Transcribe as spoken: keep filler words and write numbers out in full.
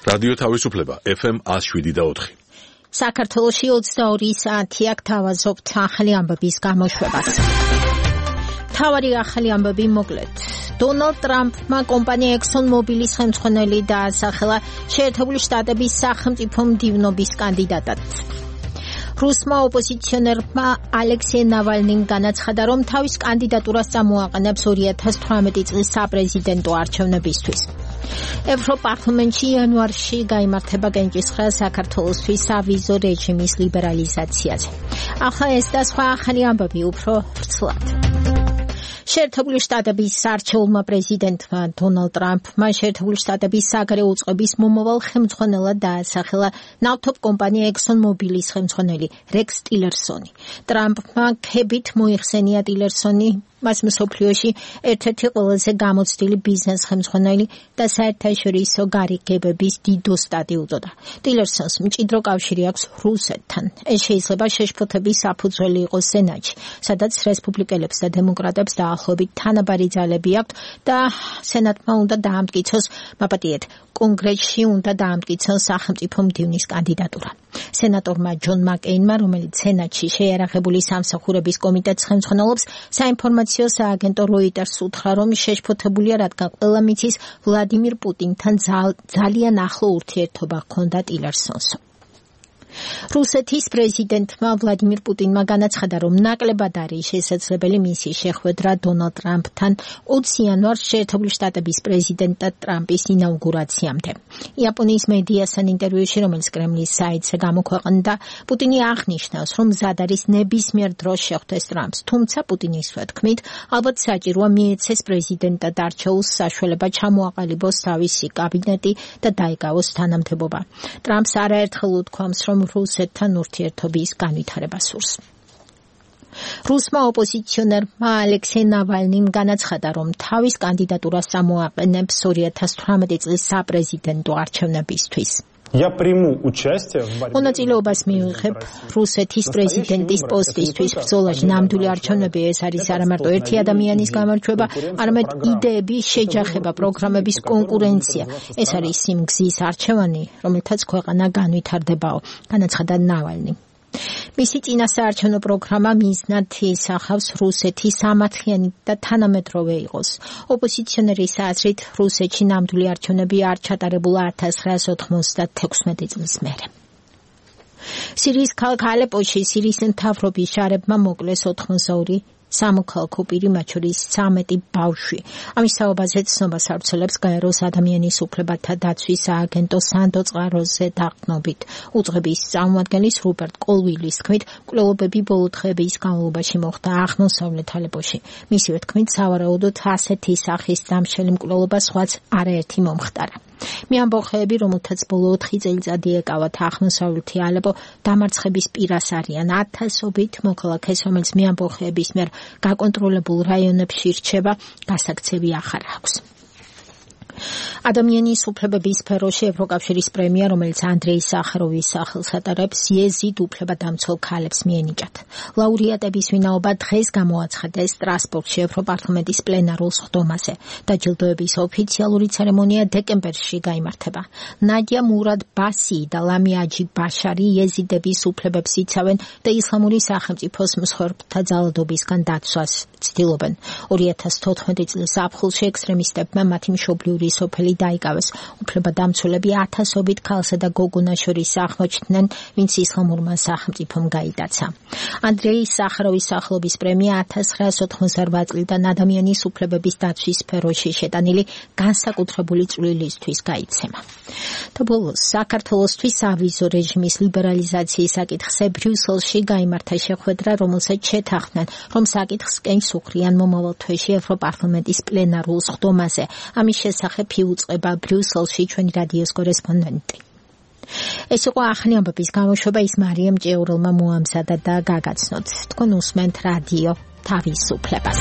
რადიო თავისუფლება ეფ ემ one oh seven point four. საქართველოში ოცდაორი საათი აქ თავაზობთ ახალი ამბების გამოშვებას. თავარი ახალი ამბები მოკლედ. დონალდ ტრამპმა კომპანია ექსონ მობილის ხელმძღვანელი დაასახელა შეერთებული შტატების სახელმწიფო მდივნობის კანდიდატად. რუსმა ოპოზიციონერმა ალექსეი ნავალნიმ განაცხადა, რომ თავის კანდიდატურას წამოაყენებს ორი ათას თვრამეტი წლის საპრეზიდენტო არჩევნებისთვის. ევროპარლამენტში იანვარში გაიმართება კენჭისყრა საქართველოსთვის სავიზო რეჟიმის ლიბერალიზაციაზე. ახლა ეს და სხვა ახალი ამბები უფრო ვრცლად. შეერთებული შტატების არჩეულმა პრეზიდენტმა დონალდ ტრამპმა შეერთებული შტატების საგარეო უწყების მომავალ ხელმძღვანელად დაასახელა ნავთობ კომპანია ექსონ მობილის ხელმძღვანელი რექს ტილერსონი. ტრამპმა ქებით მოიხსენია ტილერსონი მას მსოფლიოში ერთ-ერთი ყველაზე გამოცდილი ბიზნეს ხელმძღვანელი და საერთაშორისო გარიგებების დიდოსტატი უწოდა. ტილერსონს მჭიდრო კავშირი აქვს რუსეთთან. ეს შეიძლება შეშფოთების საფუძველი იყოს სენატში, სადაც რესპუბლიკელებს და დემოკრატებს დაახლოებით თანაბარი ძალები აქვთ და სენატმა უნდა დაამტკიცოს, მაპატიეთ, კონგრესში უნდა დაამტკიცოს სახელმწიფო მდივნის კანდიდატურა. სენატორმა ჯონ მაკეინმა, რომელიც სენატში შეიარაღებული სამსახურების კომიტეტს ხელმძღვანელობს, საინფორმაციო სააგენტო როიტერს უთხრა, რომ შეშფოთებულია, რადგან ყველა მიცის ვლადიმირ პუტინთან ძალიან ახლო ურთიერთობა ჰქონდა ტილერსონს. რუსეთის პრეზიდენტმა ვლადიმირ პუტინმა განაცხადა, რომ ნაკლებად არის შესაძლებელი მისი შეხვედრა დონალდ ტრამპთან ოცი იანვარს შეერთებული შტატების პრეზიდენტად ტრამპის ინაუგურაციამდე. იაპონიის მედიასთან ინტერვიუში, რომელიც კრემლის საიტზე გამოქვეყნდა, პუტინი აღნიშნავს, რომ მზად არის ნებისმიერ დროს შეხვდეს ტრამპს, თუმცა პუტინის თქმით, ალბათ საჭიროა მიეცეს პრეზიდენტად არჩეულს საშუალება ჩამოაყალიბოს თავისი კაბინეტი და დაიკავოს თანამდებობა. ტრამპს არაერთხელ უთქვამს, რომ რუსეთთან ურთიერთობის განვითარება სურს. რუსმა ოპოზიციონერმა ალექსეი ნავალნიმ განაცხადა, რომ თავის კანდიდატურას წამოაყენებს ორი ათას თვრამეტი წლის საპრეზიდენტო არჩევნებისთვის. მონაწილეობას მივიღებ რუსეთის პრეზიდენტის პოსტისთვის ბრძოლაში. ნამდვილი არჩევნები ეს არის არამარტო ერთი ადამიანის გამარჯვება, არამედ იდეების შეჯახება, პროგრამების კონკურენცია. ეს არის იმ გზის არჩევანი, რომელთაც ქვეყანა განვითარდებაო, განაცხადა ნავალნი. მისი წინასაარჩევნო პროგრამა მიზნად ისახავს რუსეთი სამართლიანი და თანამედროვე იყოს. ოპოზიციონერის აზრით, რუსეთში ნამდვილი არჩევნები არ ჩატარებულა ათას ცხრაას ოცდათექვსმეტი წლის მერე. სირიის ქალაქ ალეპოში სირიის მთავრობის ჯარებმა მოკლეს ოთხმოცდაორი სამოქალაქო პირი, მათ შორის ცამეტი ბავშვი. ამის საუბარზე ცნობას ავრცელებს გაეროს ადამიანის უფლებათა დაცვის სააგენტო სანდო წყაროზე დაყრდნობით. უწყების წარმომადგენლის რუპერტ კოლვილის თქმით, მკვლელობები ბოლო დღეების განმავლობაში მოხდა აღმოსავლეთ ალეპოში. მისივე თქმით, სავარაუდოდ ასეთი სახის დამშელი მკვლელობა სხვაც არაერთი მომხდარა. მეამბოხეები, რომელთაც ბოლო ოთხი წელიწადი ეკავათ აღმოსავლეთი ალეპო, დამარცხების პირას არიან. ათასობით მოქალაქეს, რომელიც მეამბოხეების მიერ გაკონტროლებულ რაიონებში რჩება, გასაქცევი ახარ აქვს. ადამიანის უფლებების სფეროში ევროკავშირის პრემია, რომელიც ანდრეი სახაროვის სახელს ატარებს, იეზიდ უფლებადამცველ ქალებს მიენიჭათ. ლაურეატების ვინაობა დღეს გამოაცხადეს სტრასბურგში ევროპარლამენტის პლენარულ სხდომაზე. დაჯილდოების ოფიციალური ცერემონია დეკემბერში გაიმართება. ნადია მურად ბასი და ლამია აჯი ბაშარი იეზიდების უფლებებს იცავენ და ისლამური სახელმწიფოს მსხვერპლთა ძალადობისგან დაცვას ცდილობენ. ორი ათას თოთხმეტი წლის ზაფხულში ექსტრემისტებმა მათი მშობლიური სოფელი დაიკავეს. უფლებადამცველები ათასობით ქალსა და გოგონას შორის აღმოჩნდნენ, ვინც ისლამურმა სახელმწიფომ გაიტაცა. ანდრეი სახაროვის სახელობის პრემია ათას ცხრაას ოცდაოთხმოცდაორბა წლიდან ადამიანის უფლებების დაცვის სფეროში შეტანილი განსაკუთრებული წვლილისთვის გაიცემა. და ბოლოს, საქართველოსთვის სავიზო რეჟიმის ლიბერალიზაციის საკითხზე ბრიუსელში გაიმართა შეხვედრა, რომელსაც შეთანხმდნენ, რომ საკითხს კენჭს უხრიან მომავალ თვეში ევროპარლამენტის პლენარულ სხდომაზე. ამის შესახებ იუწყება ბრიუსელში ჩვენი რადიოს კორესპონდენტი. ეს იყო ახალი ამბების გამოშვება, ის მარიამ ჭეურელმა მოამზადა და გაგაცნოთ. თქვენ უსმენთ რადიო თავისუფლებას.